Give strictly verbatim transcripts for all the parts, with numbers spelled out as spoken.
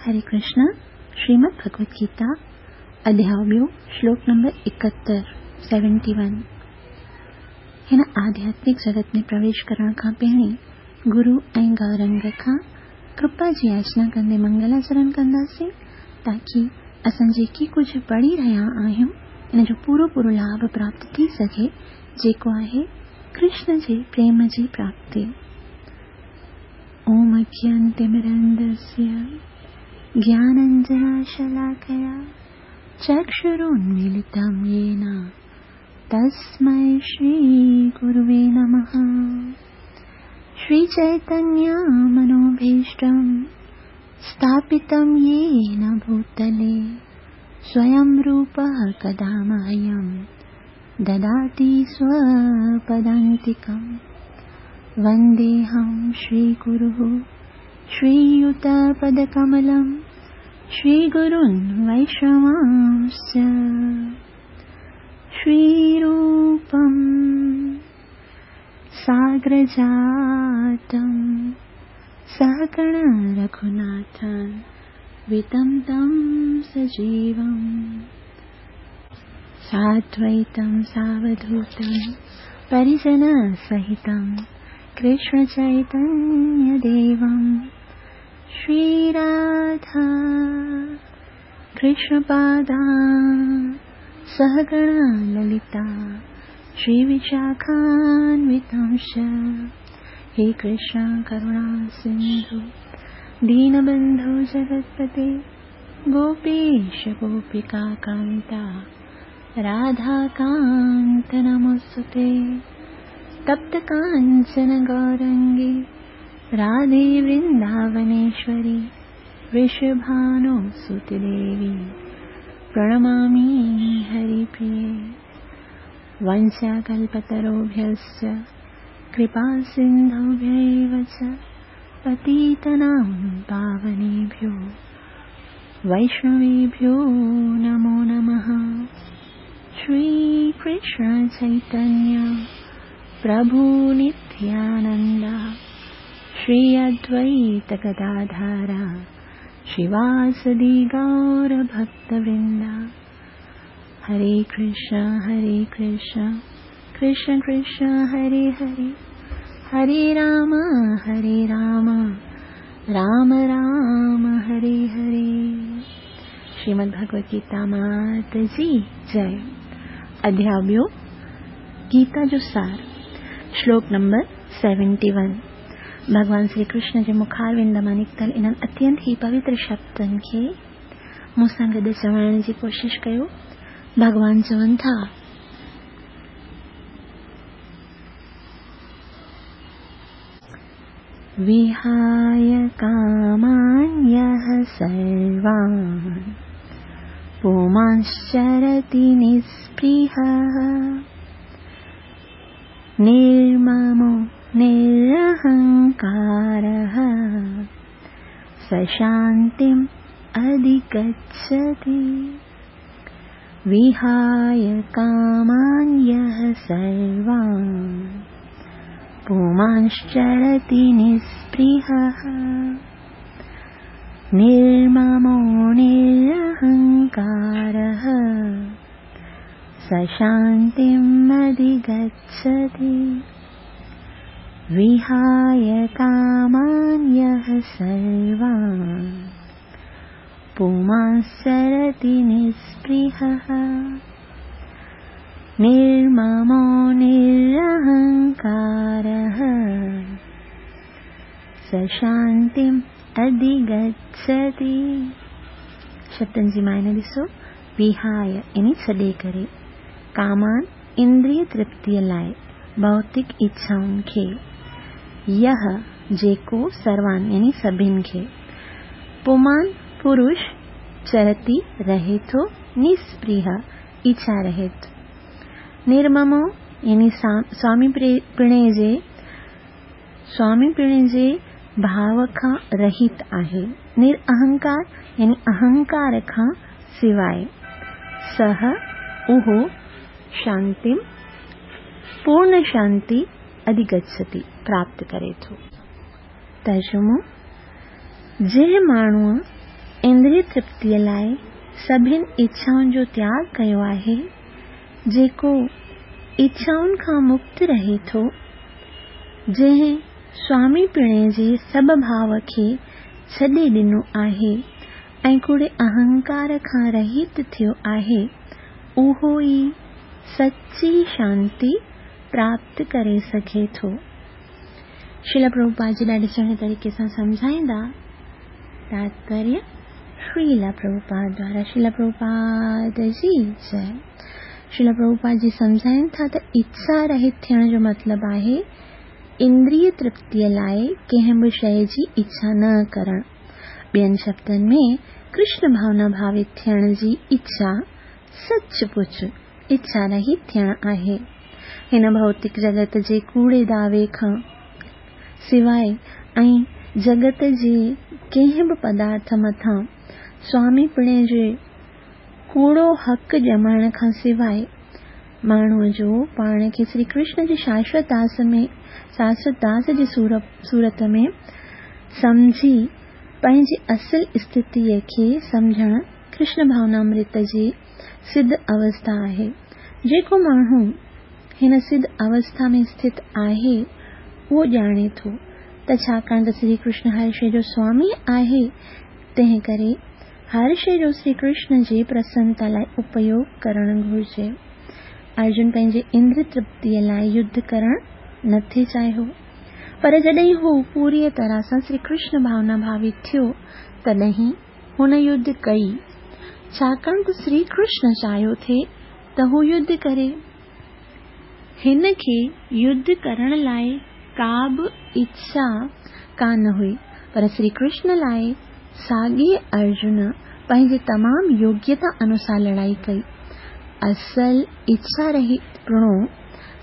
हरे कृष्ण। श्रीमद् भगवत गीता अध्याय ॿियो, श्लोक नंबर एकहतरि, सेवेंटी वन। हिन आध्यात्मिक जगत में प्रवेश करण खां पहिरीं गुरु ऐं गौरंग खां कृपा जी याचना कंदे मंगलाचरण कंदासीं, ताकी असां जेकी कुझु पढ़ी रहिया आहियूं इन जो पूरो पूरो लाभ प्राप्त थी सघे, जेको आहे कृष्ण जे प्रेम जी प्राप्ति। ओम अज्ञानतिमिरन्धस्य ज्ञानाञ्जनशलाकया चक्षुरुन्मीलितं येन तस्मै श्रीगुरुवे नमः। श्रीचैतन्यमनोभीष्टं स्थापितं येन भूतले स्वयं रूपः कदा मह्यं ददाति स्वपदान्तिकं। वन्देऽहं श्रीगुरुः श्रीयुतपदकमलं श्रीगुरुन् वैष्णवांश्च। श्रीरूपं साग्रजातं सहगण रघुनाथं वितं तं सजीवं साद्वैतं सावधूतं परिजनसहितं कृष्णचैतन्यदेवं। श्रीराधा कृष्णपादा सहगण ललिता श्रीविशाखान्वितांश्च। हे कृष्ण करुणा सिन्धु दीनबन्धु जगत्पते गोपेश गोपिका कान्ता राधाकान्त नमोऽस्तुते। तप्त काञ्चन गौरङ्गे राधे वृन्दावनेश्वरी वृषभानुसुते देवी प्रणमामि हरिप्रिये। वंशाकल्पतरुभ्यश्च कृपासिन्धुभ्यैव च पतितानां पावनेभ्यो वैष्णवेभ्यो नमो नमः। श्रीकृष्ण चैतन्य प्रभु नित्यानन्द श्री अद्वैत गदाधर श्रीवासदि गौरभक्तवृन्द। हरे कृष्ण हरे कृष्ण कृष्ण कृष्ण हरे हरे, हरे राम हरे राम राम राम हरे हरे। श्रीमद् भगवत गीता मात जी जय। अध्याय ॿियो, गीता जो सार, श्लोक नंबर सेवेंटी वन। भॻवान श्री कृष्ण जे मुखारविंद मां निकितल इन्हनि अत्यंत ई पवित्र शब्दनि खे मूं सां गॾु चवण जी कोशिश कयो। भॻवान चवनि था, विहाय कामान्यः सर्वान् पुमांश्चरति निःस्पृहः निर्ममो निरहङ्कारः स शान्तिम् अधिगच्छति। विहाय कामान्यः सर्वान् पुमांश्चरति निःस्पृहः निर्ममो निरहङ्कारः स शान्तिम् अधिगच्छति। विहाय कामान्यः सर्वान् पुमांश्चरति निःस्पृहः निर्ममो निरहङ्कारः स शान्तिम् अधिगच्छति। शब्दनि जी मायने ॾिसो, विहाय यानी छॾे करे, कामान इंद्रिय तृप्तीअ लाइ भौतिक इच्छाउनि खे, यह जेको सर्वान यानी सभिनि खे, पुमान पुरुष, चरति रहे थो, निस्पृह इच्छा रहित, निर्ममो यानी स्वामी पिणे जे स्वामी पिणे जे भाव खां रहित आहे, निरअहंकार यानी अहंकार खां सिवाय, सह उहो शांतिम पूर्ण शांति अधिगच्छति प्राप्त करे थो। तर्जुमो, जंहिं माण्हूअ इंद्रिय तृप्तीअ लाइ सभिनि इच्छाउनि जो त्याग कयो आहे, जेको इच्छाउनि खां मुक्त रहे थो, जंहिं स्वामीपणे जे सभु भाव खे छॾे ॾिनो आहे ऐं कूड़े अहंकार खां रहित थियो आहे, उहो ई सच्ची शांति प्राप्त करे सघे थो। श्रील प्रभुपाद जी ॾाढे सुहिणे तरीक़े सां सम्झाईंदा। तात्पर्य श्रील प्रभुपाद द्वारा। श्रील प्रभुपाद जी जय। श्रील प्रभुपाद जी सम्झाइनि था त इच्छा रहित थियण जो मतिलबु आहे इंद्रिय तृप्तीअ लाइ कंहिं बि शइ जी इच्छा न करणु। ॿियनि शब्दनि में कृष्ण भावना भावित थियण जी इच्छा सच पुच इच्छा रहित थियण आहे। हिन भौतिक जगत जे कूड़े दावे खां सिवाइ ऐं जगत जे कंहिं बि पदार्थ मथां स्वामीपणे जे कूड़ो हक़ ॼमाइण खां सिवाइ माण्हूअ जो पाण खे श्री कृष्ण जे शाश्वत दास में शाश्वत दास जी सूरत में सम्झी पंहिंजी असल स्थितीअ खे सम्झणु कृष्ण भावनामृत जी सिद्ध अवस्था आहे। जेको माण्हू हिन सिद्ध अवस्था में स्थित आहे उहो ॼाणे थो त छाकाणि त श्री कृष्ण हर शइ जो स्वामी आहे, तंहिं करे हर शइ जो श्री कृष्ण जे प्रसन्नता लाइ उपयोग करणु घुरिजे। अर्जुन पंहिंजे इंद्र तृप्तीअ लाइ युद्ध करणु नथी चाहियो, पर जॾहिं हू पूरीअ तरह सां श्री कृष्ण भावना भावित थियो तॾहिं हुन युद्ध कई, छाकाणि त श्री कृष्ण चाहियो थे त हू युद्ध करे। हिन खे युद्ध करण लाइ का बि इच्छा कान हुई, पर श्री कृष्ण लाइ साॻे अर्जुन पंहिंजी तमामु योग्यता अनुसार लड़ाई कई। असल इच्छा रहित प्रणो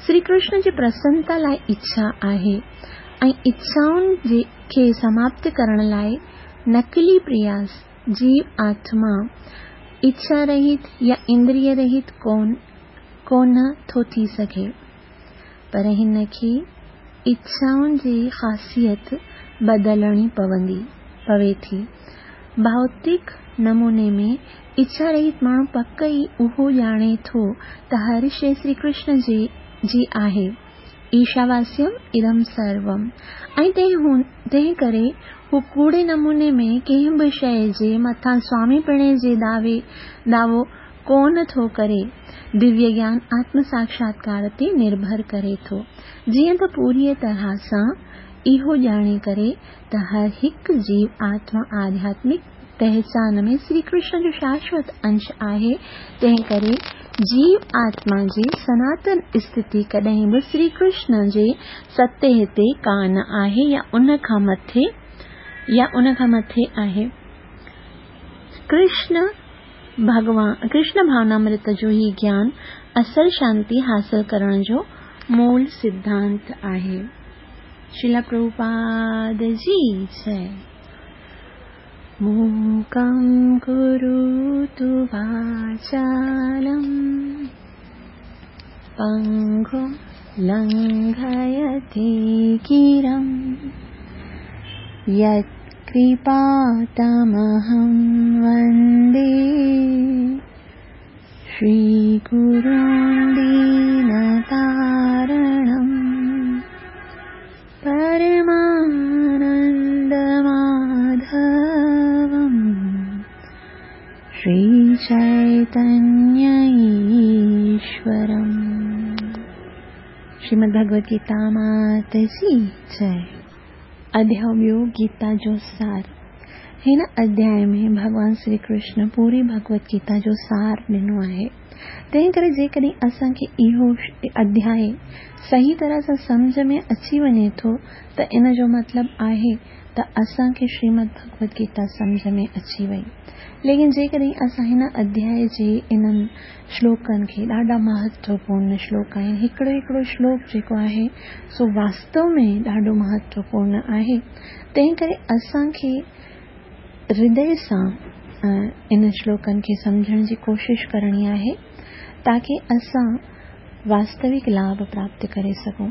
श्री कृष्ण जी प्रसन्नता लाइ इच्छा आहे ऐं इच्छाउनि जे खे समाप्त करण लाइ नकली प्रयास जीव आत्मा इच्छा रहित या इंद्रिय रहित कोन कोन थो थी सघे, पर हिन खे इच्छाउनि जी ख़ासियत बदिलणी पवंदी पवे थी। भौतिक नमूने में इच्छा रहित माण्हू पक ई उहो ॼाणे थो त हर शइ श्री कृष्ण जे जी आहे, ईशावास्यम इदम सर्वम, ऐं तंहिं करे हू कूड़े नमूने में कंहिं बि शइ जे मथां स्वामीपणे जे दावे दावो कोन थो करे। दिव्य ज्ञान आत्म साक्षात्कार ते निर्भर करे थो। जीअं त पूरीअ तरह सां इहो ॼाणे करे त हर हिकु जीव आत्मा आध्यात्मिक पहचान में श्री कृष्ण जो शाश्वत अंश आहे, तंहिं करे जीव आत्मा जी सनातन स्थिति कॾहिं बि श्री कृष्ण जे सतह ते कान आहे या उन खां मथे या उन खां मथे आहे। कृष्ण भगवान कृष्ण भावनामृत जो ही ज्ञान असल शांति हासिल करण जो मूल सिद्धांत आहे। श्रील प्रभुपाद जी जय। मूकं करोतु वाचालं पङ्गुं लङ्घयते गिरिं यत्कृपातमहं वन्दे श्रीगुरुं दीनतारणं परमानन्दमाधवं श्रीचैतन्य ईश्वरम्। श्रीमद् भगवद गीता मात जी जय। अध्याय ॿियो गीता जो सार। हिन अध्याय में भॻवान श्री कृष्ण पूरी भगवद गीता जो सार ॾिनो आहे। तंहिं करे जेकॾहिं असांखे इहो अध्याय सही तरह सां सम्झ में अची वञे थो त इन जो मतिलबु आहे त असांखे श्रीमद् भगवद गीता सम्झ में अची वई। लेकिन जेकॾहिं असां हिन अध्याय जे इन्हनि श्लोकनि खे, ॾाढा महत्वपूर्ण श्लोक आहिनि, हिकिड़ो हिकिड़ो श्लोक जेको आहे सो वास्तव में ॾाढो महत्वपूर्ण आहे, तंहिं करे असांखे हृदय सां इन श्लोकनि खे सम्झण जी कोशिश करणी आहे ताकी असां वास्तविक लाभ प्राप्त करे सघूं।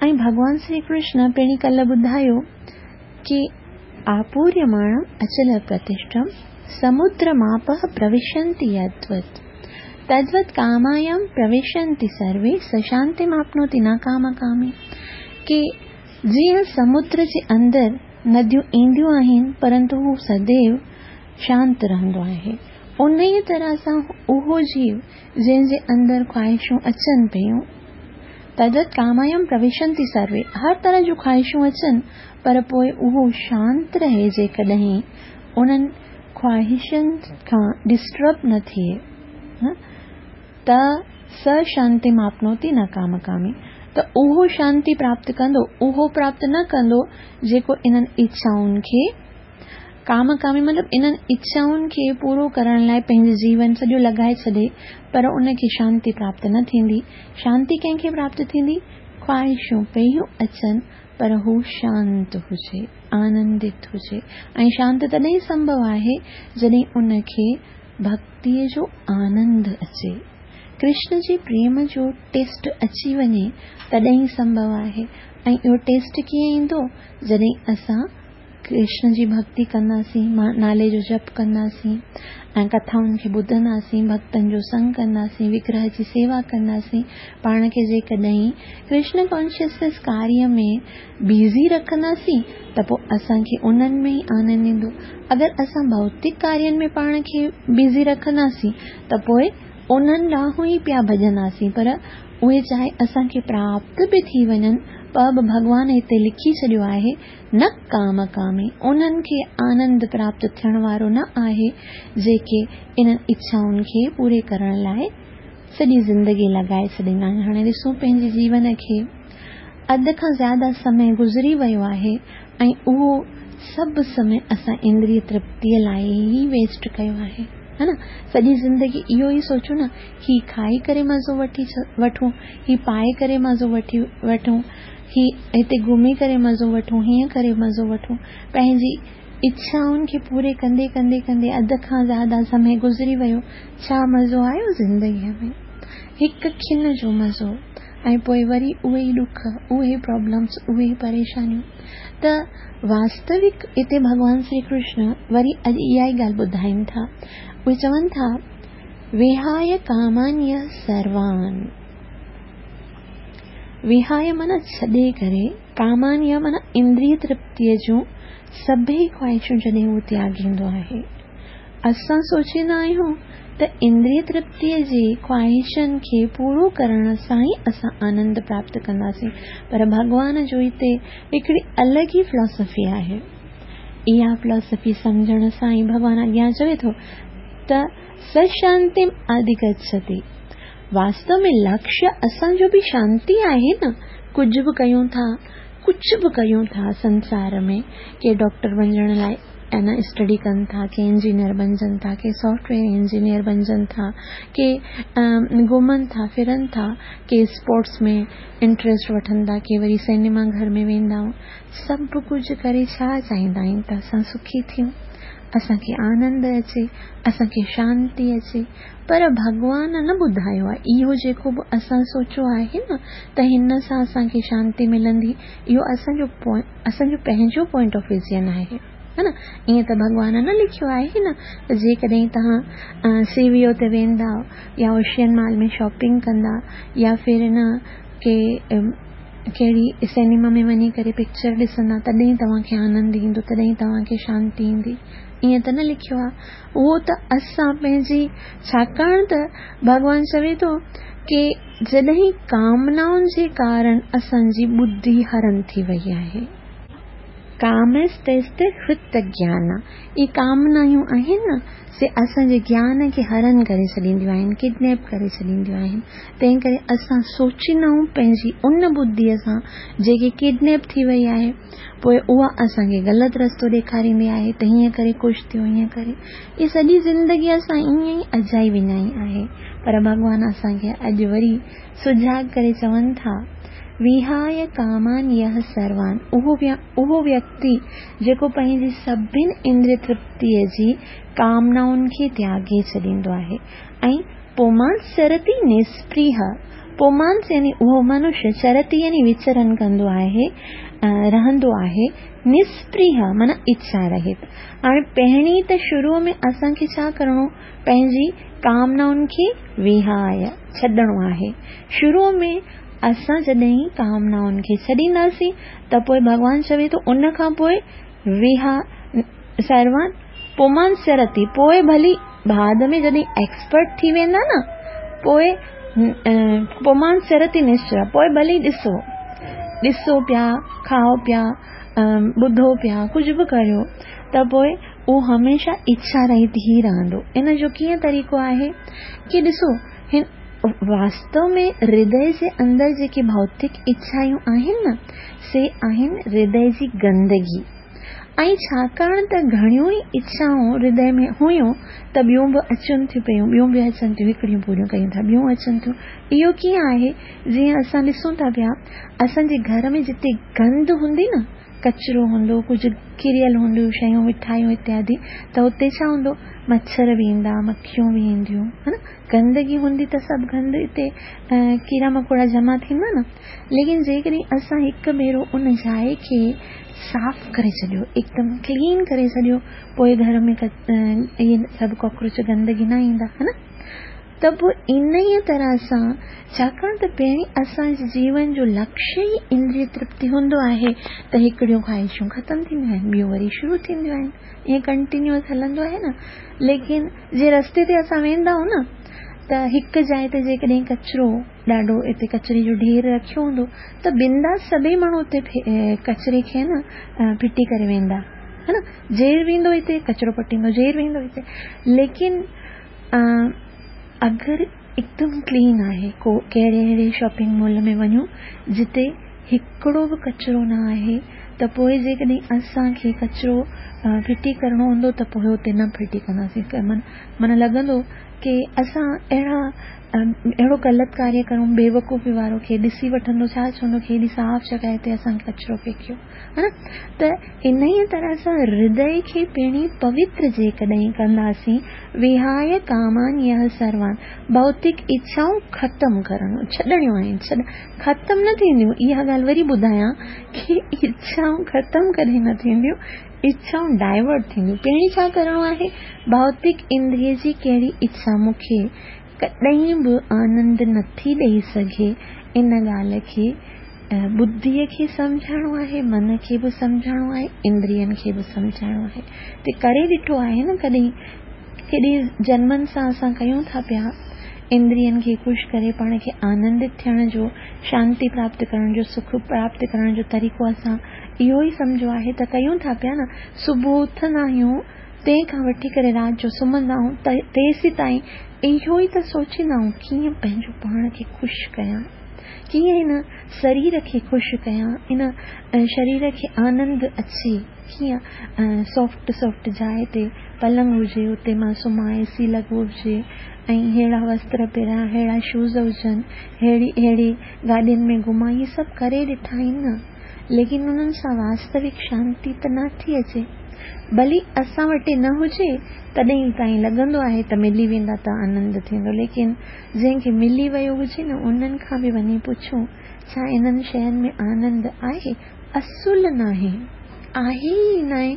ऐं भॻवान श्री कृष्ण पहिरीं कल्ह ॿुधायो की आपूर्यमाणम् अचलप्रतिष्ठं समुद्रमापः प्रविशन्ति यद्वत् तद्वत् कामायां प्रविशन्ति सर्वे स शान्तिमाप्नोति न कामकामी। की जीअं समुद्र जे अंदरि नदियूं ईंदियूं आहिनि परंतु हू सदैव शांत रहंदो आहे, उन ई तरह सां उहो जीव जंहिंजे अंदरि ख़्वाहिशूं अचनि पियूं, तद्वत् कामायां प्रविशन्ति सर्वे, हर तरह जूं ख़्वाहिशूं अचनि पर पोइ उहो शांत रहे, जेकॾहिं उन्हनि ख़्वाहिशनि खां डिस्टर्ब न थिए त स शांतिमाप्नोति न कामकामी। त उहो शांति प्राप्त कंदो, उहो प्राप्त न कंदो जेको इन्हनि इच्छाउनि खे कामकामी मतिलबु इन्हनि इच्छाउनि खे पूरो करण लाइ पंहिंजो जीवन सॼो लॻाए छॾे पर उनखे शांति प्राप्त न थींदी। शांति कंहिंखे प्राप्त थींदी? ख़्वाहिशूं पियूं अचनि पर हू शांत हुजे, आनंदित हुजे। ऐं शांत तॾहिं संभव आहे जॾहिं उनखे भक्तीअ जो आनंद अचे, कृष्ण जे प्रेम जो टेस्ट अची वञे तॾहिं संभव आहे। ऐं इहो टेस्ट कीअं ईंदो? जॾहिं असां कृष्ण जी भक्ति कंदासीं, नाले जो जप कंदासीं ऐं कथाउनि खे ॿुधंदासीं, भक्तनि जो संग कंदासीं, विग्रह जी सेवा कंदासीं, पाण खे जेकॾहिं कृष्ण कॉन्शियसनेस कार्य में बिज़ी रखंदासीं त पोइ असांखे उन्हनि में ई आनंद ईंदो। अगरि असां भौतिक कार्यनि में पाण खे बिज़ी रखंदासीं त पोइ उन्हनि ॾांहुं ई पिया भॼंदासीं, पर उहे चाहे असांखे प्राप्त बि थी वञनि पर बि भॻवान हिते लिखी छॾियो आहे न काम कामी, उन्हनि खे आनंद प्राप्त थियण वारो न आहे जेके इन्हनि इच्छाउनि खे पूरे करण लाइ सॼी ज़िंदगी लॻाए छॾींदा आहिनि। हाणे ॾिसूं पंहिंजे जीवन खे, अधु खां ज़्यादा समय गुज़री वियो आहे ऐं उहो सभु समय असां इंद्रिय तृप्तीअ लाइ ई वेस्ट कयो आहे, है न। सॼी ज़िंदगी इहो ई सोचूं न, ही खाई करे मज़ो वठी वठूं, ही पाए करे मज़ो वठी वठूं, ही हिते घुमी करे मज़ो वठूं, हीअं करे मज़ो वठूं। पंहिंजी इच्छाउनि खे पूरे कंदे कंदे कंदे अधु खां ज़्यादा समय गुज़री वियो। छा मज़ो आयो ज़िंदगीअ में? हिकु खिन जो मज़ो ऐं पोइ वरी उहे ई ॾुख, उहे प्रॉब्लम्स, उहे ई परेशानियूं। त वास्तविक हिते भॻवान श्री कृष्ण वरी अॼु इहा ई ॻाल्हि ॿुधाइनि था। उहे चवनि था विहाय कामान्य सर्वान, विहाय माना छॾे करे, कामान्य माना इंद्रिय तृप्तीअ जूं सभई ख़्वाहिशूं जॾहिं उहो त्यागींदो आहे। असां सोचींदा आहियूं त इंद्रिय तृप्तीअ जे ख़्वाहिशनि खे पूरो करण सां ई असां आनंद प्राप्त कंदासीं, पर भॻवान जो हिते हिकिड़ी अलॻि ई फिलॉसफी आहे। इहा फिलॉसफी सम्झण सां ई भॻवान अॻियां चवे थो त सशांतिम अधिगच्छति। वास्तव में लक्ष्य असांजो बि शांति आहे न। कुझु बि कयूं था, कुझु बि कयूं था संसार में, के डॉक्टर बणिजण लाइ न स्टडी कनि था, के इंजीनियर बणिजनि था, के सॉफ्टवेयर इंजीनियर बणिजनि था, के घुमनि था फिरनि था, के स्पोर्ट्स में इंट्रस्ट वठनि था, के वरी सिनेमा घर में वेंदा। सभु कुझु करे छा चाहींदा आहियूं त असां सुखी थियूं, असांखे आनंद अचे, असांखे शांति अचे। पर भॻवान न ॿुधायो आहे, इहो जेको बि असां सोचियो आहे न त हिन सां असांखे शांति मिलंदी, इहो असांजो असांजो पंहिंजो पॉइंट ऑफ विजन आहे, है न। ईअं त भॻवान न लिखियो आहे न त जेकॾहिं तव्हां सीवीओ ते वेंदा या ओशियन मॉल में शॉपिंग कंदा या फिर न के कहिड़ी सिनेमा में वञी करे पिक्चर ॾिसंदा तॾहिं तव्हांखे आनंद ईंदो, तॾहिं तव्हांखे शांति ईंदी, ईअं त न लिखियो आहे। उहो त असां पंहिंजी, छाकाणि त भॻवान चवे थो की जॾहिं कामनाउनि जे कारण असांजी बुद्धि हरण थी वई आहे, कामस्तस्त हृत ज्ञान, इहे कामनायूं आहिनि न से असांजे ज्ञान खे हरण करे छॾींदियूं आहिनि, किडनैप करे छॾींदियूं आहिनि। तंहिं करे असां सोचींदा आहियूं पंहिंजी उन बुद्धीअ सां जेकी किडनैप थी वई आहे, पोइ उहा असांखे ग़लति रस्तो ॾेखारींदी आहे त हीअं करे ख़ुशि थियो, हीअं करे। इहा सॼी ज़िंदगी असां ईअं ई अजाई विञाई आहे। पर भॻवान असांखे अॼु वरी सुझाग करे चवनि था विहाय कामान यह सर्वान, उहो उहो व्यक्ति जेको पंहिंजी सभिनि इंद्रिय तृप्तीअ जी कामनाउनि खे त्यागे छॾींदो आहे ऐं पुमांस चरति निस्पृह, पुमांस यानी उहो मनुष्य, चरति यानी विचरण कंदो आहे रहंदो आहे निस्पृह माना इच्छा रहित। हाणे पहिरीं त शुरू में असांखे छा करिणो, पंहिंजी कामनाउनि खे विहाय छॾणो आहे। शुरू में असां जॾहिं कामनाउनि खे छॾींदासीं त पोइ भॻवान चवे थो उन खां पोइ विहा सर्वान पुमान चरति, पोइ भली बाद में जॾहिं एक्सपर्ट थी वेंदा न, पोइ पुमान चरति निश्चय, पोइ भली ॾिसो ॾिसो पिया, खाओ पिया, ॿुधो पिया, कुझु बि करियो, त पोइ उहो हमेशा इच्छा रहित ई रहंदो। इन जो कीअं तरीक़ो आहे की ॾिसो, हिन वास्तव में हृदय जे अंदरि जेके भौतिक इच्छायूं आहिनि न, से आहिनि हृदय जी गंदगी। ऐं छाकाणि त घणियूं ई इच्छाऊं हृदय में हुयूं त ॿियूं बि अचनि थियूं पियूं, ॿियूं बि अचनि थियूं, हिकिड़ियूं पूरियूं कयूं था, ॿियूं अचनि थियूं। इहो कीअं आहे, जीअं असां ॾिसूं था पिया असांजे घर में जिते गंद हूंदी न, कचरो हूंदो, कुझु किरियल हूंदियूं शयूं, मिठायूं इत्यादि, त हुते छा हूंदो, मच्छर बि ईंदा, मखियूं बि ईंदियूं, हा न, गंदगी हूंदी त सभु गंद हिते कीड़ा मकोड़ा जमा थींदा न। लेकिन जेकॾहिं असां हिकु भेरो उन जाइ खे साफ़ करे छॾियो, एकदम क्लीन करे छॾियो, पोइ घर में इहे सभु कॉकरोच गंदगी न ईंदा, हा न। त पोइ इन ई तरह सां, छाकाणि त पहिरीं असांजे जीवन जो लक्ष्य ई इंद्रिय तृप्ति हूंदो आहे, त हिकिड़ियूं ख़्वाहिशूं ख़तमु थींदियूं आहिनि, ॿियूं वरी शुरू थींदियूं आहिनि, ईअं कंटिन्यूअस हलंदो आहे न। लेकिन जे रस्ते ते असां वेंदा आहियूं न, त हिकु जाइ ते जेकॾहिं कचरो ॾाढो हिते कचरे जो ढेर रखियो हूंदो, त बिंदास सभई माण्हू उते कचरे खे न फिटी करे वेंदा, हा न। जेर वेंदो हिते कचरो पटींदो, जेर वेंदो हिते। लेकिन अगरि एकदम क्लीन आहे, को कहिड़े अहिड़े शॉपिंग मॉल में वञूं जिते हिकिड़ो बि कचरो न आहे, त पोइ जेकॾहिं असांखे कचरो फिटी करिणो हूंदो त पोइ उते न फिटी कंदासीं। माना लॻंदो की असां अहिड़ा अहिड़ो ग़लति कार्य करूं, बेवकूफ़ी वारो, खे ॾिसी वठंदो, छा चवंदो, केॾी साफ़ जॻह ते असांखे कचरो फेंकियो, हा न। त इन ई तरह सां हृदय खे पहिरीं पवित्र जेकॾहिं कंदासीं, विहाय कामान यह सर्वान, भौतिक इच्छाऊं ख़तमु करणु, छॾणियूं आहिनि, छॾ ख़तमु न थींदियूं। इहा ॻाल्हि वरी ॿुधायां की इच्छाऊं ख़तमु कॾहिं न थींदियूं, इच्छाऊं डाइवर्ट थींदियूं। पहिरीं छा करिणो आहे, भौतिक इंद्रिय जी कहिड़ी इच्छा मूंखे कॾहिं बि आनंद नथी ॾेई सघे, इन ॻाल्हि खे बुद्धीअ खे सम्झाइणो आहे, मन खे बि सम्झाइणो आहे, इंद्रियनि खे बि सम्झाइणो आहे। त करे ॾिठो आहे न, कॾहिं केॾे जन्मनि सां असां कयूं था पिया, इंद्रियनि खे ख़ुशि करे पाण खे आनंदित थियण जो, शांति प्राप्त करण जो, सुख प्राप्त करण जो तरीक़ो असां इहो ई सम्झो आहे, त कयूं था पिया न। सुबुह उथंदा आहियूं तंहिंखां वठी करे राति जो सुम्हंदा आहियूं तेसी ताईं इहो ई त सोचींदा आहियूं कीअं पंहिंजो पाण खे ख़ुशि कयां, कीअं हिन शरीर खे ख़ुशि कयां, इन शरीर खे आनंद अचे, कीअं सॉफ्ट सॉफ्ट जाइ ते पलंग हुजे, उते मां सुम्हां, एसी लॻो हुजे, ऐं अहिड़ा वस्त्र पहिरां, अहिड़ा शूज़ हुजनि, अहिड़ी अहिड़ी गाॾियुनि में घुमां, इहे सभु करे ॾिठा आहिनि न, लेकिन उन्हनि सां वास्तविक शांति त नथी अचे। भली असां वटि न हुजे तॾहिं ताईं लॻंदो आहे त मिली वेंदा त आनंद थींदो, लेकिन जंहिंखे मिली वियो हुजे न, उन्हनि खां बि वञी पुछूं, छा इन्हनि शयुनि में आनंद आहे? असुल नाहे, आहे ई नाहे।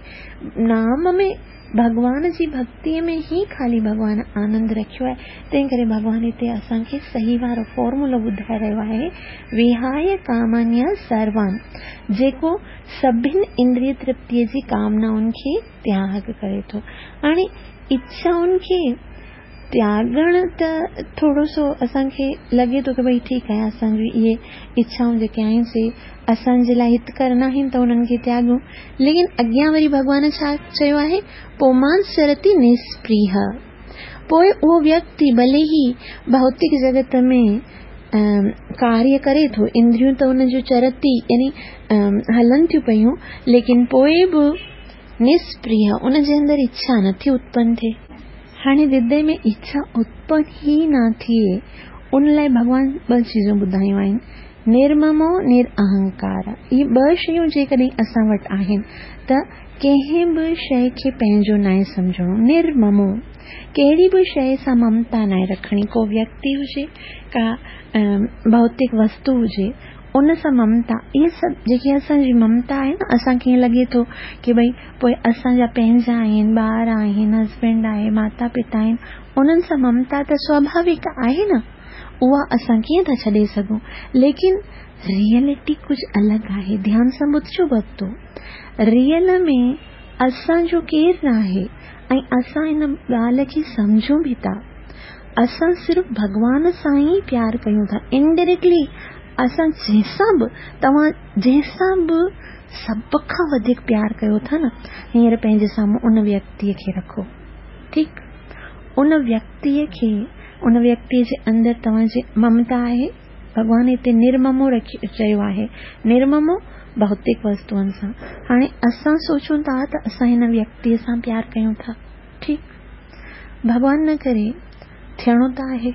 नाम में, भॻवान जी भक्तीअ में ई ख़ाली भॻवान आनंद रखियो आहे। तंहिं करे भॻवान हिते असांखे सही वारो फॉर्मूलो ॿुधाए रहियो आहे, विहाय कामान्य सर्वान, जेको सभिनि इंद्रिय तृप्तीअ जी कामनाउनि खे त्याग करे थो। हाणे इच्छाउनि खे त्यागणु त थोरो सो असांखे लॻे थो की भई ठीकु आहे, असांजूं इहे इच्छाऊं जेके आहिनि से असांजे लाइ हितकर न आहिनि त उन्हनि खे त्यागूं। लेकिन अॻियां वरी भॻवान छा चयो आहे, पोमान सरति निस्पृह, पोइ उहो व्यक्ति भले ई भौतिक जगत में कार्य करे थो, इंद्रियूं त हुनजो चरति यानी हलनि थियूं पयूं, लेकिन पोइ बि निस्पृह, उनजे अंदरि इच्छा नथी उत्पन्न थिए। हाणे हृदय में इच्छा उत्पन्न ई न थिए, उन लाइ भॻवान ॿ चीज़ूं ॿुधायूं आहिनि, निर्ममो निरअहंकार। इहे ॿ शयूं जेकॾहिं असां वटि आहिनि त कंहिं बि शइ खे पंहिंजो नाहे सम्झणो। निर्ममो, कहिड़ी बि शइ सां ममता नाहे रखणी, को व्यक्ति हुजे, का भौतिक वस्तु हुजे, ان सां ममता, इहे सभु जेकी असांजी ममता आहे न, असांखे ईअं लॻे थो की भई पोइ असांजा पंहिंजा आहिनि, ॿार आहिनि, हस्बैंड आहे, माता पिता आहिनि, उन्हनि सां ममता त स्वाभाविक आहे न, उहा असां कीअं था छॾे सघूं। लेकिन रियलिटी कुझु अलॻि आहे। ध्यान सां ॿुधजो भक्तो, रियल में असांजो केरु न आहे ऐं असां इन ॻाल्हि खे सम्झूं बि था। असां सिर्फ़ु भॻवान सां ई प्यार कयूं था। इनडायरेक्टली असां जंहिंसां बि, तव्हां जंहिंसां बि सभ खां वधीक प्यार कयो था न, हींअर पंहिंजे साम्हूं उन व्यक्तीअ खे रखो, ठीकु? उन व्यक्तीअ खे, उन व्यक्तीअ जे अंदरि तव्हांजी ममता आहे। भॻवान हिते निर्ममो रखी चयो आहे, निर्ममो भौतिक वस्तुअनि सां। हाणे असां सोचूं था त असां हिन व्यक्तीअ सां प्यार कयूं था, ठीकु? भॻवान न करे, थियणो त आहे,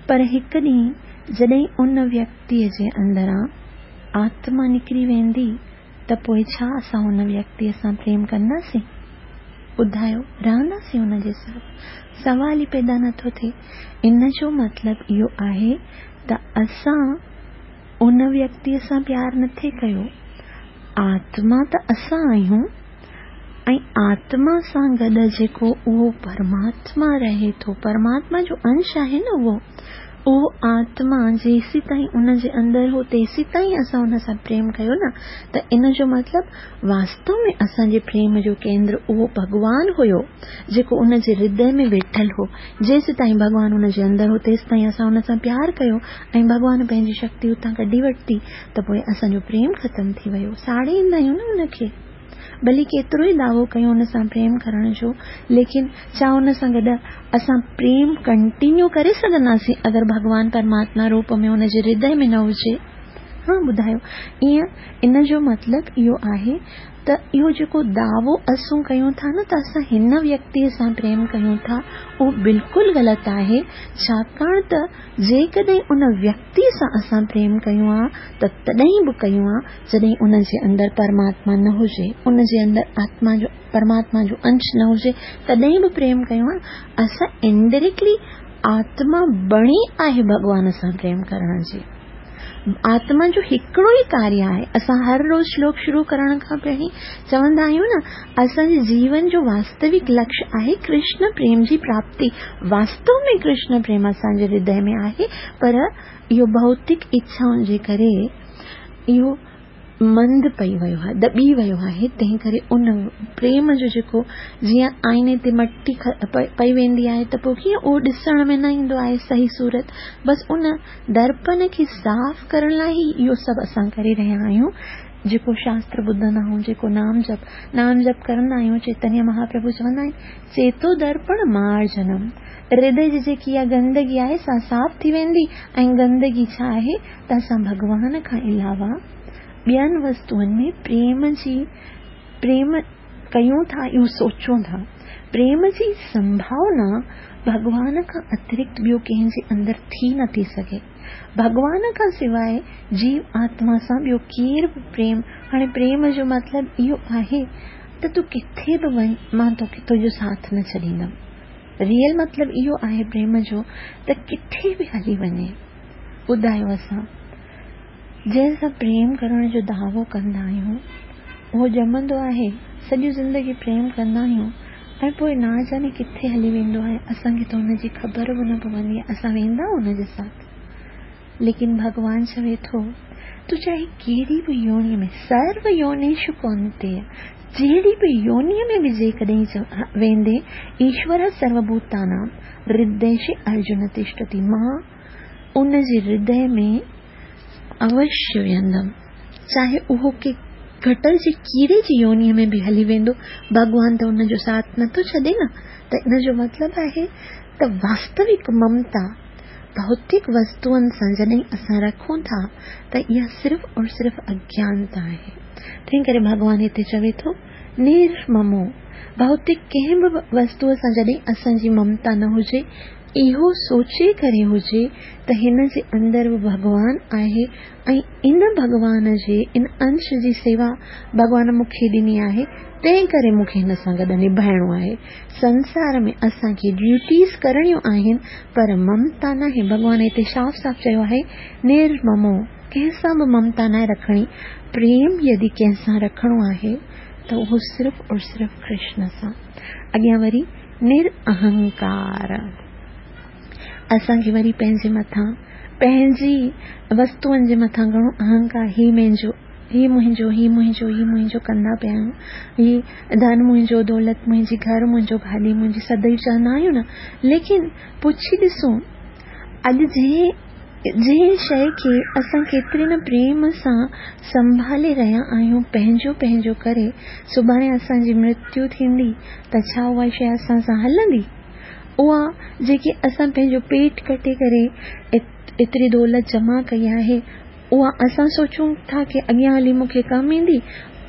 पर हिकु ॾींहुं जॾहिं उन व्यक्तीअ जे अंदरां आत्मा निकिरी वेंदी त पोइ छा असां उन व्यक्तीअ सां प्रेम कंदासीं? ॿुधायो, रहंदासीं उनजे साथ? सवाल ई पैदा नथो थिए। इन जो मतिलबु इहो आहे त असां उन व्यक्तीअ सां प्यार नथे कयो। आत्मा त असां आहियूं ऐं आत्मा सां गॾु जेको उहो परमात्मा रहे थो, परमात्मा जो अंश आहे न उहो, उहो आत्मा जेसी ताईं उन जे अंदरि हो तेसी ताईं असां उन सां प्रेम कयो न, त इन जो मतिलबु वास्तव में असांजे प्रेम जो केंद्र उहो भॻवान हुयो जेको उन जे हृदय में वेठल हो। जेसी ताईं भॻवान उन जे अंदरि हो तेसी ताईं असां उन सां प्यार कयो ऐं भॻवान पंहिंजी शक्ति उतां कढी वरिती त पोइ असांजो प्रेम ख़तमु थी वियो। साड़े ईंदा आहियूं न उनखे, भली केतिरो ई दावो कयूं उन सां प्रेम करण जो, लेकिन छा उन सां गॾु असां प्रेम कंटिन्यू करे सघंदासीं अगरि भॻवान परमात्मा रूप में उन जे हृदय में न हुजे? हा, ॿुधायो। ईअं इन जो मतिलबु इहो आहे त इहो जेको दावो असूं कयूं था न त असां हिन व्यक्तीअ सां प्रेम कयूं था, उहो बिल्कुलु ग़लति आहे। छाकाणि त जेकॾहिं उन व्यक्तीअ सां असां प्रेम कयूं आहे त तॾहिं बि कयूं आहे जॾहिं उन जे अंदरि परमात्मा न हुजे, उन जे अंदरि आत्मा जो, परमात्मा जो अंश न हुजे, तॾहिं बि प्रेम कयूं आहे। असां इनडायरेक्टली आत्मा बणी आहे भॻवान सां प्रेम करण जी। आत्मा जो हिकिड़ो ई कार्य आहे। असां हर रोज़ श्लोक शुरू करण खां पहिरीं चवंदा आहियूं न, असांजे जीवन जो वास्तविक लक्ष्य आहे कृष्ण प्रेम जी प्राप्ति। वास्तव में कृष्ण प्रेम असांजे हृदय में आहे, पर इहो भौतिक इच्छाउनि जे करे इहो मंद पई वियो आहे, दॿी वियो आहे। तंहिं करे उन प्रेम जो जेको जीअं आईने ते मटी पई वेंदी आहे त पोइ कीअं उहो ॾिसण में न ईंदो आहे सही सूरत, बसि उन दर्पण खे साफ़ करण लाइ ई इहो सभु असां करे रहिया आहियूं। जेको शास्त्र ॿुधंदा आहियूं, जेको नाम जप नाम जप कंदा आहियूं, चैतन्य महाप्रभु चवंदा आहिनि चेतो दर्पण मार्जनम। हृदय जी जेकी इहा गंदगी आहे सा साफ़ थी वेंदी। ऐं गंदगी छा आहे त असां भॻवान खां अलावा ॿियनि वस्तुअनि में प्रेम जी प्रेम कयूं था, इहो सोचूं था। प्रेम जी संभावना भॻवान खां अतिरिक्त ॿियो कंहिंजे अंदरि थी नथी सघे। भॻवान खां सवाइ जीव आत्मा सां ॿियो केरु बि प्रेम, हाणे प्रेम जो मतिलबु इहो आहे त तूं किथे बि वञ, मां तोखे तुंहिंजो साथ न छॾींदमि। रियल मतिलबु इहो आहे प्रेम जो त किथे बि हली वञे। ॿुधायो, असां जंहिंसां प्रेम करण जो दावो कंदा आहियूं उहो ॼमंदो आहे, सॼी ज़िंदगी प्रेम कंदा आहियूं ऐं पोइ ना जाने किथे हली वेंदो आहे, असांखे त हुनजी ख़बर बि न पवंदी आहे, असां वेंदा हुनजे साथ। लेकिन भॻवान चवे थो तूं चाहे कहिड़ी बि योनि में, सर्व योनिषु कौन्तेय, जहिड़ी बि योनीअ में बि जेकॾहिं वेंदे, ईश्वर सर्वभूतानां हृदय अर्जुन तिष्ठति, मां उन जे हृदय में अवश्य वेंदमि, चाहे उहो के गटर जे कीड़े जी योनीअ में बि हली वेंदो, भॻवान त उनजो साथ नथो छॾे न। त इन जो मतिलबु आहे त वास्तविक ममता भौतिक वस्तुअनि सां जॾहिं असां रखूं था त इहा सिर्फ़ और सिर्फ़ अज्ञानता आहे। तंहिं करे भॻवान हिते चवे थो निर्ममो, भौतिक कंहिं बि वस्तूअ सां जॾहिं असांजी ममता न हुजे, इहो सोचे करे हुजे त हिन जे अंदरि बि भॻवान आहे ऐं इन भॻवान जे इन अंश जी सेवा भॻवान मूंखे ॾिनी आहे, तंहिं करे मूंखे हिन सां गॾु निभाइणो आहे। संसार में असांखे ड्यूटीज़ करणियूं आहिनि पर ममता नाहे। भॻवान हिते साफ़ साफ़ चयो आहे निर्ममो। कंहिंसां बि ममता न रखणी। प्रेम यदि कंहिंसां रखणो आहे त उहो सिर्फ़ और सिर्फ़ कृष्ण सां। अॻियां वरी निरअहंकार, असांखे वरी पंहिंजे मथां पंहिंजी वस्तुअनि जे मथां घणो अहंकार, ही मुंहिंजो ही मुंहिंजो ही मुंहिंजो ही मुंहिंजो कंदा पिया आहियूं, ही धन मुंहिंजो, दौलत मुंहिंजी, घर मुंहिंजो, गाॾी मुंहिंजी, सदैव चवंदा आहियूं न। लेकिन पुछी ॾिसूं अॼु जंहिं जंहिं शइ खे असां केतिरे न प्रेम सां संभाले रहिया आहियूं, पंहिंजो पंहिंजो करे, सुभाणे असांजी मृत्यु थींदी त छा उहा शइ असां सां हलंदी? उहा जेकी असां पंहिंजो पेट कटे करे एतिरी दौलत जमा कई आहे, उहा असां सोचूं था की अॻियां हली मूंखे कमु ईंदी,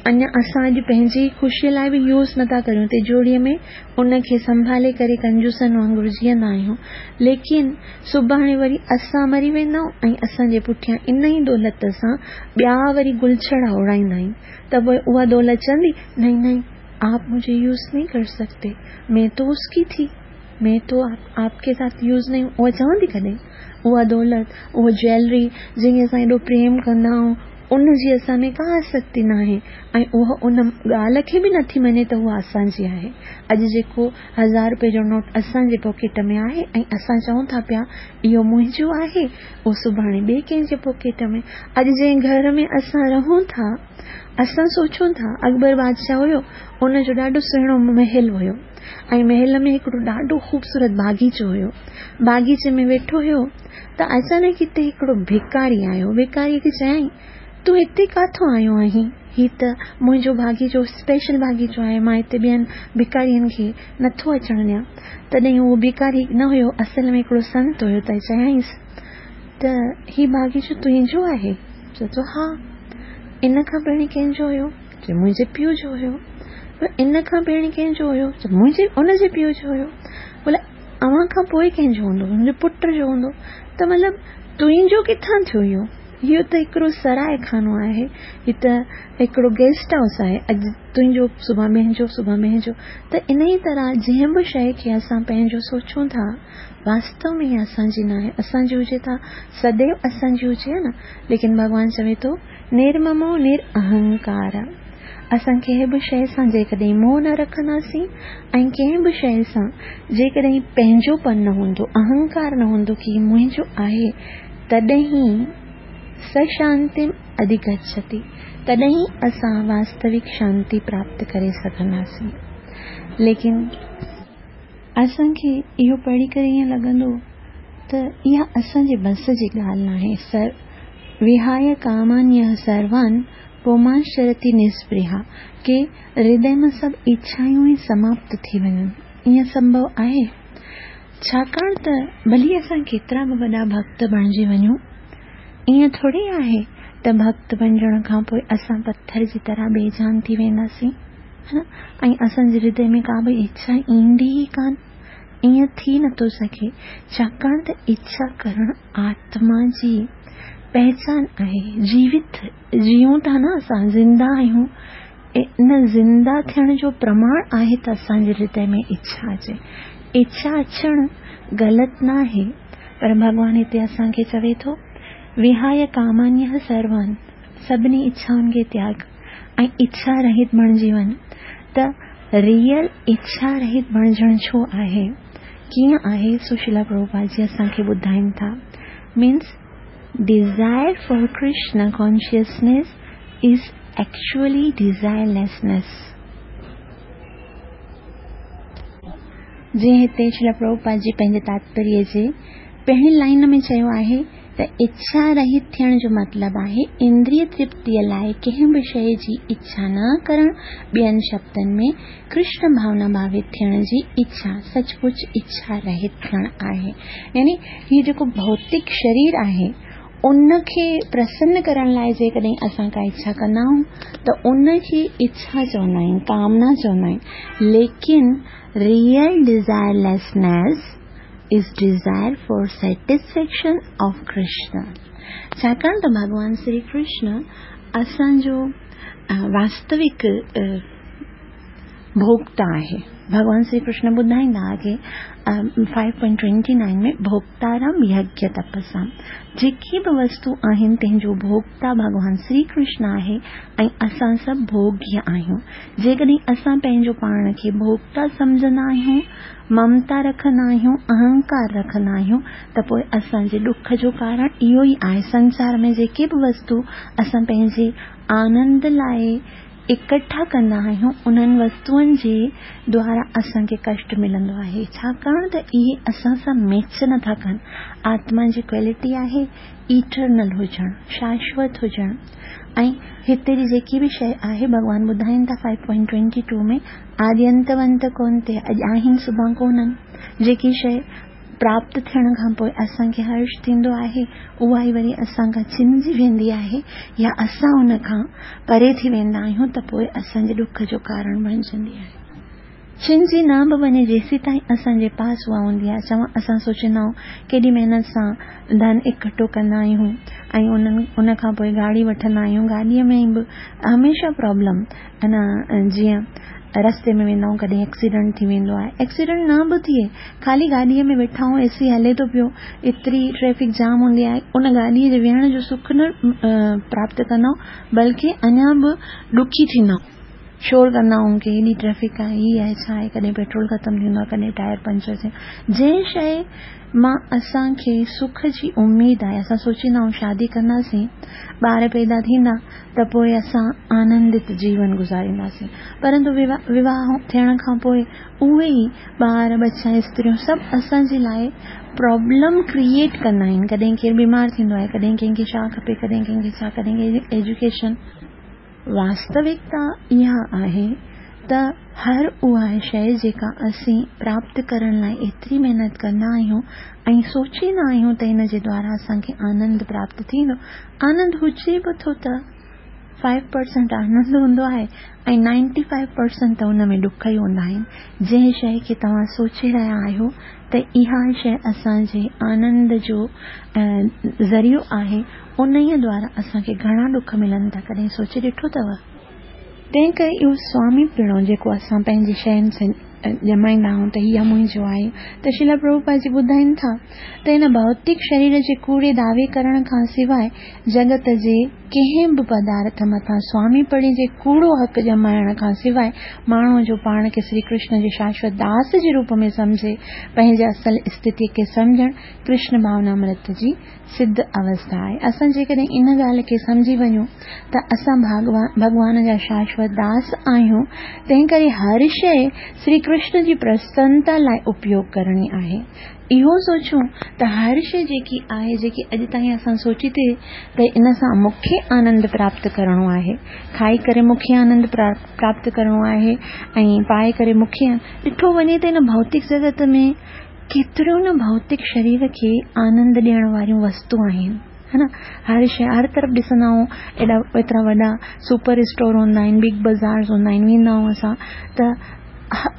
अञा असां अॼु पंहिंजी ख़ुशीअ लाइ बि यूज़ नथा करियूं, तिजोरीअ में उनखे संभाले करे कंजूसनि वांगुरु जीअंदा आहियूं। लेकिन सुभाणे वरी असां मरी वेंदा आहियूं ऐं असांजे पुठियां इन ई दौलत सां ॿिया वरी गुलछड़ा उड़ाईंदा आहिनि, त पोइ उहा दौलत चवंदी नहीं नहीं आप मुझे यूज़ नहीं कर सकते, मैं तो उसकी थी, मैं तो आप, आपके साथ यूज़ नहीं। उहा चवंदी कॾहिं? उहा दौलत, उहा ज्वेलरी जंहिंखे असां एॾो प्रेम कंदा आहियूं, उन जी असां में का आसक्ति न आहे ऐं उहा उन ॻाल्हि खे बि नथी मञे त उहा असांजी आहे। अॼु जेको हज़ार रुपए जो नोट असांजे पॉकेट में आहे ऐं असां चऊं था पिया इहो मुंहिंजो आहे, उहो सुभाणे ॿिए कंहिंजे पॉकेट में। अॼु जंहिं घर में असां रहूं था, असां सोचूं था अकबर बादशाह हुयो, उनजो ॾाढो सुहिणो महल हुयो ऐं महल में हिकिड़ो ॾाढो ख़ूबसूरत बाग़ीचो हुयो। बाग़ीचे में वेठो हुयो त अचानक हिते हिकिड़ो भिकारी आयो। भिकारी खे चयाईं तूं हिते काथों आयो आहीं? ही त मुंहिंजो बाग़ीचो स्पेशल बाग़ीचो आहे, मां हिते ॿियनि भिकारियुनि खे नथो अचणु ॾियां। तॾहिं उहो भिकारी न हुयो, असल में हिकिड़ो संत हुयो। त चयाईंसि त ही बाग़ीचो तुंहिंजो आहे? चए थो हा। इन खां पहिरीं कंहिंजो हुयो? चए मुंहिंजे पीउ जो हुयो। इन खां पहिरीं कंहिंजो हुयो? चए मुंहिंजे उनजे पीउ जो हुयो। बोले अव्हां खां पोइ कंहिंजो हूंदो? मुंहिंजे पुट जो हूंदो। त मतिलबु तुंहिंजो किथां थियो इहो? इहो त हिकिड़ो सराय खानो आहे, हीअ त हिकिड़ो गेस्ट हाउस आहे, अॼु तुंहिंजो सुभाणे मुंहिंजो, सुभाणे मुंहिंजो। त इन ई तरह जंहिं बि शइ खे असां पंहिंजो सोचूं था, वास्तव में इहा असांजी न आहे। असांजी हुजे त सदैव असांजी हुजे न, लेकिन भॻवान चवे थो निर्ममो निरअहंकार। असां कंहिं बि शइ सां जेकॾहिं मोह न रखंदासीं ऐं कंहिं बि शइ सां जेकॾहिं पंहिंजोपन न हूंदो, अहंकार न हूंदो की मुंहिंजो आहे, तॾहिं सशांतिम अधिगच्छति, तॾहिं असां वास्तविक शांति प्राप्त करे सघंदासीं। लेकिन असांखे इहो पढ़ी करे ईअं लॻंदो त इहा असांजे बस जी ॻाल्हि न आहे। सर विहाय कामान्यः सर्वान् पुमांश्चरति निस्पृहा, के हृदय मां सभु इच्छायूं ई समाप्त थी वञनि, ईअं संभव आहे? छाकाणि त भली असां केतिरा बि वॾा भक्त बणिजी वञूं, ईअं थोरी आहे त भक्त बणिजण खां पोइ असां पथर जी तरह बेजान थी वेंदासीं, है न, ऐं असांजे हृदय में का बि इच्छा ईंदी ई कान, ईअं थी नथो सघे। छाकाणि त इच्छा करणु आत्मा जी पहचान आहे। जीवित जीऊं था न असां, ज़िंदा आहियूं, इन ज़िंदा थियण जो प्रमाण आहे त असांजे हृदय में इच्छा अचे। इच्छा अचणु ग़लति न आहे, पर भॻवान हिते असांखे चवे थो विहाय कामान्यः सर्वान्, सभिनी इच्छाउनि खे त्याग ऐं इच्छा रहित बणिजी वञ। त रियल इच्छा रहित बणिजणु छो आहे, कीअं आहे, सो श्रील प्रभुपाद जी असांखे ॿुधाइनि था। Means desire for Krishna consciousness is actually desirelessness. जीअं हिते श्रील प्रभुपाद जी पंहिंजे तात्पर्य जे पहिरीं लाइन में चयो आहे त इच्छा रहित थियण जो मतिलबु आहे इंद्रिय तृप्तीअ लाइ कंहिं बि शइ जी इच्छा न करणु, ॿियनि शब्दनि में कृष्ण भावना भावित थियण जी इच्छा सचमुच इच्छा रहित थियणु आहे। यानी हीउ जेको भौतिक शरीर आहे उनखे प्रसन्न करण लाइ जेकॾहिं असां का इच्छा कंदा आहियूं त उनखे इच्छा चवंदा आहियूं, कामना चवंदा आहियूं। लेकिन real desirelessness is desire for satisfaction of Krishna. छाकाणि त भॻवान श्री कृष्ण असांजो वास्तविक ڀوڳتا آهي. ڀڳوان شري ڪرشن ٻڌائيندا آگي فائيو پوائنٽ ٽوئنٽي نائن ۾ ڀوڳتارم يگيه تپسام، جيڪي به وستو آهن تنهن جو ڀوڳتا ڀڳوان شري ڪرشن آهي ۽ اسان سڀ ڀوڳيه آهيون. جيڪڏهن اسان پنهنجو پاڻ کي ڀوڳتا سمجهندا آهيون، ممتا رکندا آهيون، اهنڪار رکندا آهيون، ته پوءِ اسان جي ڏک جو ڪارڻ اهو ئي آهي. سنسار ۾ جيڪي به وستو اسان پنهنجي آنند لاءِ اڪٺا ڪندا آهيون، انهن وستوئن جي دوارا اسان کي ڪشٽ ملندو آهي، ڇاڪاڻ ته اهي اسان سان ميچ نٿا ڪن. آتما جي ڪوالٽي آهي ايٽرنل هجڻ، شاشوت هجڻ. ۽ هتي جي جيڪي به شيءِ آهي، ڀڳوان ٻڌائين ٿا فائيو پوائنٽ ٽوئنٽي ٽو ۾ آدينتونت ڪونه ٿئي، اڄ آهن سڀاڻي ڪونهن. جيڪي شيءِ پراپت ٿيڻ کان پوءِ اسان کي هرش ٿيندو آهي، اها ئي وري اسان کان ڇنجي ويندي آهي يا اسان ان کان پري ٿي ويندا آهيون، ته پوءِ اسان جي ڏک جو ڪارڻ بڻجندي آهي. ڇنجي نه به وڃي، جيسين تائين اسان جي پاس اها هوندي آهي. چوان اسان سوچيندا آهيون ڪيڏي محنت سان ڌن اڪٺو ڪندا آهيون ۽ انهن ان کان پوءِ گاڏي وٺندا آهيون. گاڏيءَ ۾ به هميشه پرابلم، انا جيئن رستي ۾ ويندا آهيون ڪڏهن ايڪسيڊنٽ ٿي ويندو آهي. ايڪسيڊنٽ نه به ٿئي، خالي گاڏيءَ ۾ ويٺا آهيون، اي سي هلي ٿو پيو، ايتري ٽريفڪ جام هوندي آهي، ان گاڏيءَ جي ويهڻ جو سک نه پراپت ڪندا آهيون، بلڪه اڃا به ڏکي ٿيندا آهيون، شور ڪندا آهيون ڪه هيڏي ٽريفڪ آهي، هيءَ آهي، ڇا آهي، ڪڏهن پيٽرول ختم ٿيندو آهي، ڪڏهن ٽائر پنچر ٿيندو آهي. جنهن شيءِ مان اسان کي سک جي اميد آهي، اسان سوچيندا آهيون شادي ڪنداسين، ٻار پيدا ٿيندا ته پوءِ اسان آنندت جيون گذارينداسين، پرنتو وواهه ٿيڻ کان پوءِ اهي ئي ٻار ٻچا استريون سڀ اسان جي لاءِ پرابلم ڪريئيٽ ڪندا آهن. ڪڏهن ڪير بيمار ٿيندو آهي، ڪڏهن ڪنهن کي ڇا کپي، ڪڏهن ڪنهن کي ڇا، ڪڏهن ڪنهن کي ايجوڪيشن. واستوڪتا اها آهي ته هر اها شيءِ جيڪا اسين پراپت ڪرڻ لاءِ ايتري محنت ڪندا آهيون ۽ سوچيندا آهيون ته هن جي دوارا اسان کي آنند پراپت ٿيندو، آنند هجي به ٿو ته فائيو پرسينٽ آنند هوندو آهي ۽ نائنٽي فائيو پرسينٽ ته ان ۾ ڏک ئي هوندا آهن. جنهن شيءِ کي توهان سوچي رهيا آهيو ته اها شيءِ اسان جي آنند جو ذريعو آهي، ان ئي دوارا اسان کي گهڻا ڏک ملن ٿا. ڪڏهن سوچي ڏٺو اٿو؟ تنهن ڪري اهو سوامي پڻو جيڪو اسان پنهنجي شين سان ڄمائيندا آهيون ته اها منهنجو آهي، ته شريلا پرڀوپاد جي ٻڌائين ٿا ته هن ڀوتڪ شرير جي ڪوڙي دعوي ڪرڻ کان سواءِ جڳت جي ڪنهن به پدارٿ مٿان سوامي پڻي جي ڪوڙو حق ڄمائڻ کان سواءِ ماڻهوءَ جو پاڻ کي شري ڪرشن جي شاشوت داس جي روپ ۾ سمجهي پنهنجي اصل اسٿتيءَ کي سمجهڻ ڪرشن ڀاونامرت جي سڌ اوسٿا آهي. اسان جيڪڏهن ان ڳالهه کي سمجهي وڃون ته اسان ڀڳوان جا شاشوت داس آهيون، تنهن ڪري هر شيءِ شري ڪرشن جي پرسنتا لاءِ اپيوگ ڪرڻي آهي. اهو سوچون ته هر شيءِ جيڪي آهي، جيڪي اڄ تائين اسان سوچي ٿي ته ان سان مون کي آنند پراپت ڪرڻو آهي، کائي ڪري مون کي آنند پراپت ڪرڻو آهي ۽ پائي ڪري مون کي، ڏٺو وڃي ته هن ڀوتڪ جڳت ۾ ڪيتريون نه ڀوتڪ شرير کي آنند ڏيڻ واريون وستو آهن، ها نه. هر شيءِ هر طرف ڏسندا آهيون، ايڏا ايترا وڏا سپر اسٽور هوندا آهن، بگ بازار هوندا آهن، ويندا آهيون اسان ته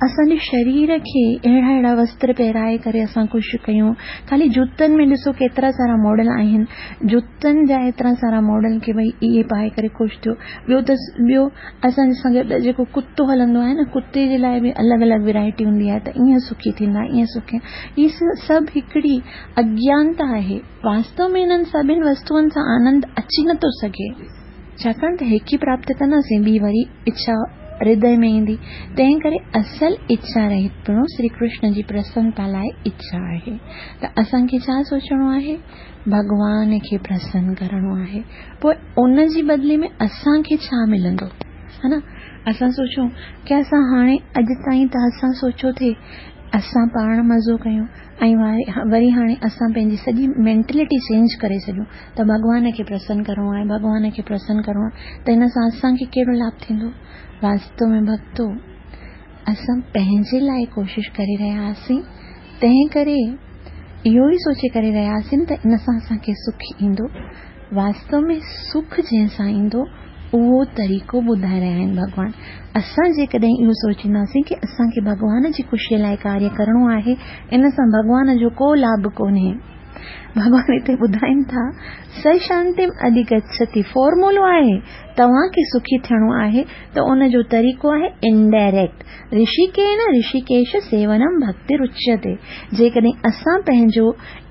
اسان جي شرير کي اهڙا اهڙا وستر پهرائي ڪري اسان خوش ڪيون. خالي جوتن ۾ ڏسو ڪيترا سارا ماڊل آهن، جوتن جا ايترا سارا ماڊل ڪه ڀئي اهي پائي ڪري خوش ٿيو. ٻيو ته ٻيو اسان جي سان گڏ جيڪو ڪتو هلندو آهي نه، ڪتي جي لاءِ به الڳ الڳ ورائٽي هوندي آهي ته ائين سکي ٿيندا، ائين سکي. هي سڀ هڪڙي اگيانتا آهي. واستو ۾ هنن سڀني وستوئن سان آنند اچي نٿو سگهي، ڇاڪاڻ ته هڪ ئي پراپت ڪنداسين، ٻي وري اڇا هردي ۾ ايندي. تنهن ڪري اصل اڇا رهت پڻو شري ڪرشن جي پرسنتا لاءِ اڇا آهي. ته اسان کي ڇا سوچڻو آهي؟ ڀڳوان کي پرسن ڪرڻو آهي. پوءِ ان جي بدلي ۾ اسان کي ڇا ملندو، ها نه. اسان سوچون ڪه اسان هاڻي اڄ تائين ته اسان سوچيو ٿي اسان پاڻ مزو ڪيون ۽ وري هاڻي اسان پنهنجي سڄي مينٽلٽي چينج ڪري ڇڏيون ته ڀڳوان کي پرسن ڪرڻو آهي، ڀڳوان کي پرسن ڪرڻو آهي، ته هن سان اسان کي ڪهڙو لاڀ ٿيندو؟ واستو ۾ ڀڳتو اسان پنهنجي لاءِ ڪوشش ڪري رهيا هئاسين، تنهن ڪري اهو ئي سوچي ڪري رهيا هئاسين ته ان سان اسان کي سک ايندو. واستو ۾ سک جنهن سان ايندو اهو طريقو ٻڌائي رهيا آهن ڀڳوان. اسان جيڪڏهن اهو سوچينداسين ڪه اسان کي ڀڳوان جي خوشيءَ لاءِ ڪاريه ڪرڻو آهي، ان سان ڀڳوان جو ڪو لاڀ ڪونهي. ڀڳوان هتي ٻڌائين ٿا س شانتيم اڌگڇتي، فارمولو آهي तव्हांखे सुखी थियणो आहे त उन जो तरीक़ो आहे इनडायरेक्ट। ऋषिकेन ऋषिकेश सेवनम भक्तिरुच्यते। जेकॾहिं असां पंहिंजो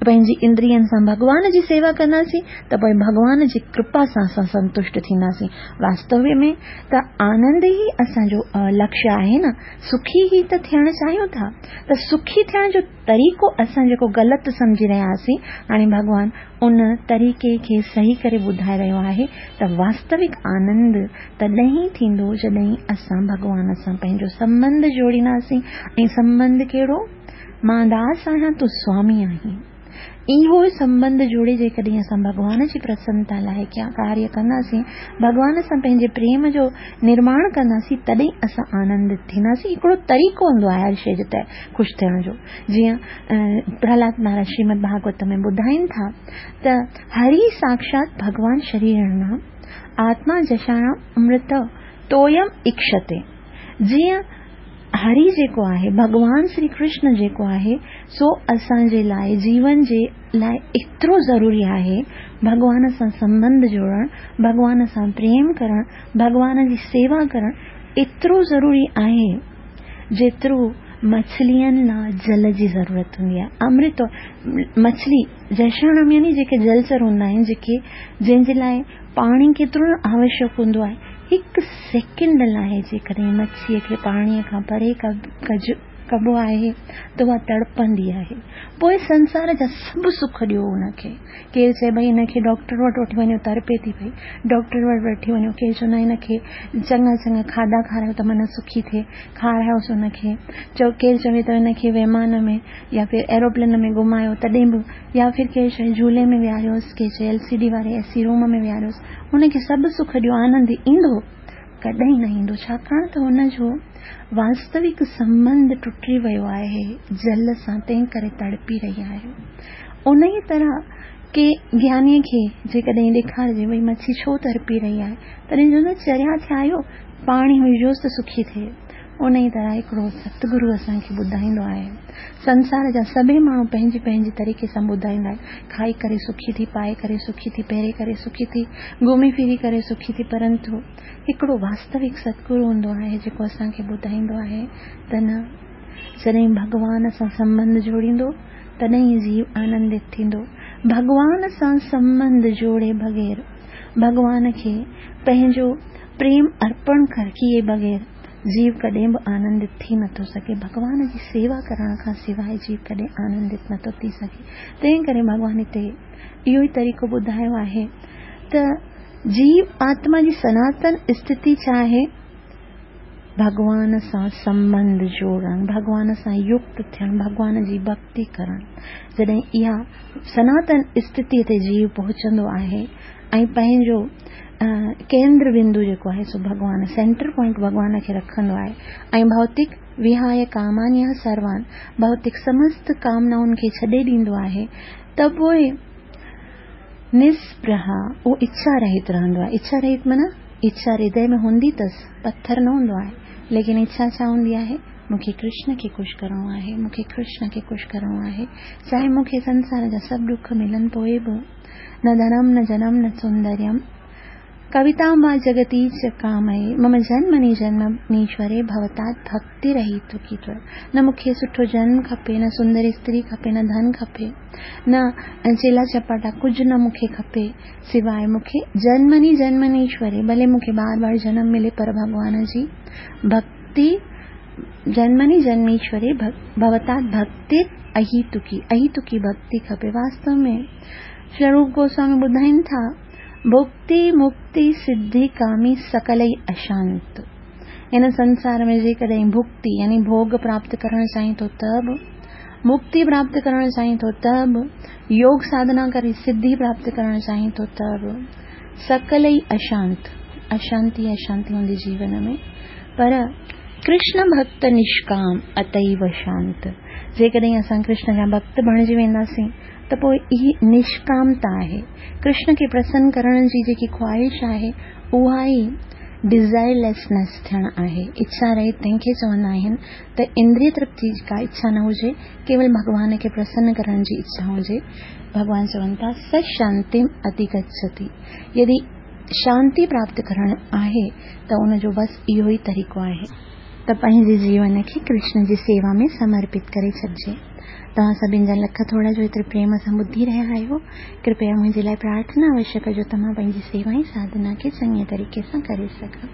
पंहिंजी इंद्रियनि सां भॻवान जी सेवा कंदासीं त पोइ भॻवान जी कृपा सां असां संतुष्ट थींदासीं। वास्तव में त आनंद ई असांजो लक्ष्य आहे न, सुखी ई त थियणु चाहियूं था। त सुखी थियण जो तरीक़ो असां जेको ग़लति सम्झी रहिया हुआसीं, हाणे भॻवान उन तरीक़े खे सही करे ॿुधाए रहियो आहे त वास्तविक आनंद तॾहिं ई थींदो जॾहिं असां भॻवान सां पंहिंजो संबंध जोड़ींदासीं। ऐं संबंध कहिड़ो? मां दास आहियां, तूं स्वामी आहीं। इहो संबंध जोड़े जेकॾहिं असां भॻवान जी प्रसन्नता लाइ कार्य कंदासीं, भॻवान सां पंहिंजे प्रेम जो निर्माण कंदासीं, तॾहिं असां आनंदित थींदासीं। हिकिड़ो तरीक़ो हूंदो आहे हर शइ जे ते ख़ुशि थियण जो। जीअं प्रहलाद महाराज श्रीमद भागवत में ॿुधाइनि था त हरि साक्षात भॻवान शरीर आत्मा जशाणाम अमृत तोयम इक्षते। जीअं हरि जेको आहे, भॻवान श्री कृष्ण जेको आहे, सो असांजे लाइ जीवन जे लाइ एतिरो ज़रूरी आहे भॻवान सां संबंध जोड़णु, भॻवान सां प्रेम करणु, भॻवान जी सेवा करणु एतिरो ज़रूरी आहे जेतिरो मछलियुनि लाइ जल जी ज़रूरत हूंदी आहे। अमृत मछली जशाणम यानी जेके जलचर हूंदा आहिनि, जेके जंहिंजे लाइ पाणी केतिरो आवश्यक हूंदो आहे, हिकु सेकंड लाइ जेकॾहिं मच्छीअ खे पाणीअ खां परे कजु कबो आहे त उहा तड़पंदी आहे। पोइ संसार जा सभु सुख ॾियो हुनखे। केरु चए भई हिनखे डॉक्टर वटि वठी वञो, तड़पे थी पई, डॉक्टर वटि वठी वञो। केरु चवंदो आहे हिनखे चङा चङा खाधा खारायो त मन सुखी थिए, खारायोसि हुनखे। चओ केरु चवे त हिनखे विमान में या फिर एरोप्लेन में घुमायो तॾहिं बि, या फिर केरु चए झूले में विहारियोसि, केरु चए एल सी डी वारे ए सी रूम में विहारियोसि, हुनखे सभु सुख ॾियो, आनंद ईंदो? कॾहिं न ईंदो। छाकाणि त हुनजो वास्तविक संबंध टुटी वियो आहे जल सां, तंहिं करे तड़पी रही आहे। उन ई तरह के ज्ञानीअ खे जेकॾहिं ॾेखारिजे भई मच्छी छो तड़पी रही आहे, तॾहिं चवंदो चरिया थिया आहियो, पाणी विझोसि त सुखी थिए। उन ई तरह हिकिड़ो सतगुरु असांखे ॿुधाईंदो आहे। संसार जा सभई माण्हू पंहिंजे पंहिंजे तरीक़े सां ॿुधाईंदा आहिनि, खाई करे सुखी थी, पाए करे सुखी थी, पहिरे करे सुखी थी, घुमी फिरी करे सुखी थी, परंतु हिकिड़ो वास्तविक सतगुरु हूंदो आहे जेको असांखे ॿुधाईंदो आहे त न, जॾहिं भॻवान सां संबंध जोड़ींदो तॾहिं जीव आनंदित थींदो। भॻवान सां संबंध जोड़े बग़ैर, भॻवान खे पंहिंजो प्रेम अर्पण किए बग़ैर जीव कॾहिं बि आनंदित थी नथो सघे। भॻवान जी सेवा करण खां सवाइ जीव कॾहिं आनंदित नथो थी सघे। तंहिं करे भॻवान हिते इहो ई तरीक़ो ॿुधायो आहे त जीव आत्मा जी सनातन स्थिति छा आहे? भॻवान सां संबंध जोड़णु, भॻवान सां युक्त थियणु, भॻवान जी भक्ति करणु। जॾहिं इहा सनातन स्थितीअ ते जीव पहुचंदो आहे ऐं पंहिंजो केंद्र बिंदु जेको आहे सो भॻवान, सेंटर पॉइंट भॻवान खे रखंदो आहे ऐं भौतिक विहाय कामान्य सर्वान, भौतिक समस्त कामनाउनि खे छॾे ॾींदो आहे, त पोइ निस्पृहा, उहो इच्छा रहित रहंदो आहे। इच्छा रहित माना इच्छा हृदय में हूंदी अथसि, पथर न हूंदो आहे, लेकिन इच्छा छा हूंदी आहे? मूंखे कृष्ण खे ख़ुशि करिणो आहे, मूंखे कृष्ण खे ख़ुशि करिणो आहे, चाहे मूंखे संसार जा सभु ॾुख मिलनि पोइ बि, न धनम न जनम न सौंदर्यम कविता वा जगती च कामये मम जन्मनि जन्मनीश्वरे भवतात् भक्ति रहित की। न मूंखे सुठो जन्म खपे, न सुंदर स्त्री खपे, न धन खपे, न चेला चपाटा, कुझु न मूंखे खपे, सिवाय मूंखे जन्मनि जन्मनीश्वरे, भले मूंखे बार बार जन्म मिले पर भॻवान जी भक्ति, जन्मनि जन्मीश्वरे भवतात् भक्ति अहितुकी, अहितुकी भक्ति खपे। वास्तव में स्वरूप गोस्वामी ॿुधाइनि था, भुक्ति मुक्ति सिद्धि कामी सकलई अशांत। हिन संसार में जेकॾहिं भुक्ति यानी भोग प्राप्त करणु चाहीं थो त बि, मुक्ति प्राप्त करणु चाहीं थो त बि, योग साधना करे सिद्धि प्राप्त करणु चाहीं थो त बि, सकलई अशांत, अशांति अशांति हूंदी जीवन में। पर कृष्ण भक्त निष्काम अतैव शांत। जेकॾहिं असां कृष्ण जा भक्त बणिजी वेंदासीं त पोइ इहा निष्कामता आहे। कृष्ण खे प्रसन्न करण जी जेकी ख़्वाहिश आहे उहा ई डिज़ायरलेसनेस थियणु आहे। इच्छा रहित तंहिंखे चवंदा आहिनि त इंद्रिय तृप्ति जी का इच्छा न हुजे, केवल भॻवान खे प्रसन्न करण जी इच्छा हुजे। भॻवान चवनि था स शांतिम अधिगच्छति। यदि शांति प्राप्त करण आहे त उनजो बसि इहो ई तरीक़ो आहे त पंहिंजे जीवन खे कृष्ण जी सेवा में समर्पित करे छॾिजे। तव्हां सभिनी जा लख थोरा जो एतिरे प्रेम सां ॿुधी रहिया आहियो। कृपया मुंहिंजे लाइ प्रार्थना अवश्य कजो त मां पंहिंजी सेवा ऐं साधना खे चङे तरीक़े सां करे सघां।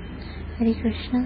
हरे कृष्ण।